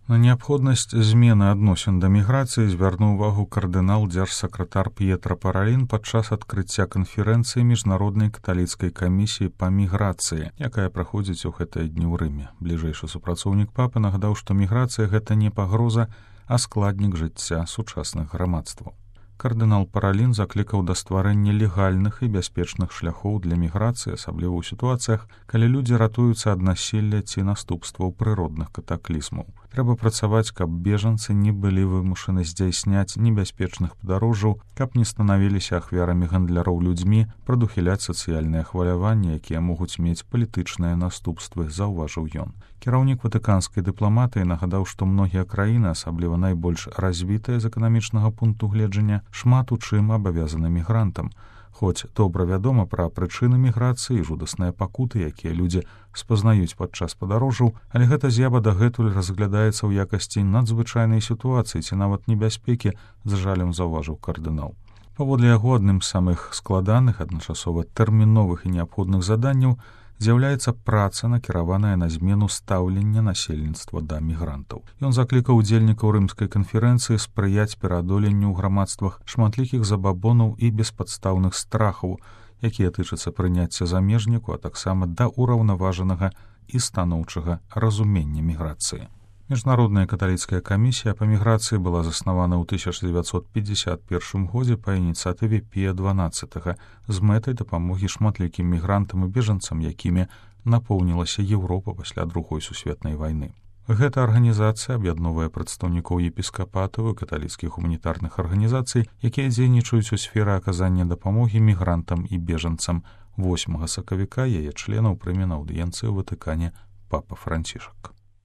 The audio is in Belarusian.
На неабходнасць змены адносін да міграцыі звярнуў увагу кардынал дзяржсакратар П'етра Паралін падчас адкрыцця канферэнцыі міжнароднай каталіцкай камісіі па міграцыі, якая праходзіць у гэтыя дні ў Рыме. Бліжэйшы супрацоўнік папы нагадаў, што міграцыя гэта не пагроза, а складнік жыцця сучасных грамадстваў. Кардынал Паралін заклікаў да стварэння легальных і бяспечных шляхоў для міграцыі, асабліва ў сітуацыях, калі людзі ратуюцца ад насілля ці наступстваў прыродных катаклізмаў. Трэба працаваць, каб бежанцы не былі вымушаны здзяйсняць небяспечных падарожжаў, каб не станавіліся ахвярамі гандляроў людзьмі, прадухіляць сацыяльныя хваляванні, якія могуць мець палітычныя наступствы, заўважыў ён. Кіраўнік ватыканскай дыпламатыі нагадаў, што многія краіны, асабліва найбольш развітыя з эканамічнага пункту гледжання, шмат у чым абавязаны мігрантам. Хоць добра вядома пра прычыны міграцыі і жудасныя пакуты, якія людзі спазнаюць падчас падарожжаў, але гэта з'ява дагэтуль разглядаецца ў якасці надзвычайнай сітуацыі ці нават небяспекі, з жалем заўважыў кардынал. Паводле яго, адным з самых складаных, адначасова тэрміновых і неабходных заданняў з'яўляецца праца, накіраваная на змену стаўлення насельніцтва да мігрантаў. Ён заклікаў удзельнікаў рымскай канферэнцыі спрыяць пераадоленню ў грамадствах шматлікіх забабонаў і беспадстаўных страхаў, якія тычацца прыняцця замежніку, а таксама да ўраўнаважанага і станоўчага разумення міграцыі. Міжнародная каталіцкая камісія па міграцыі была заснавана ў 1951 годзе па ініцыятыве Пія XII з мэтай дапамогі шматлікім мігрантам і бежанцам, якімі напоўнілася Еўропа пасля Другой сусветнай вайны. Гэта арганізацыя аб'ядноўвае прадстаўнікоў епіскапатаў і каталіцкіх гуманітарных арганізацый, якія дзейнічаюць у сферы аказання дапамогі мігрантам і бежанцам. 8 сакавіка яе членаў прыме на аўдыенцыі ў Ватыкане папа Францішак.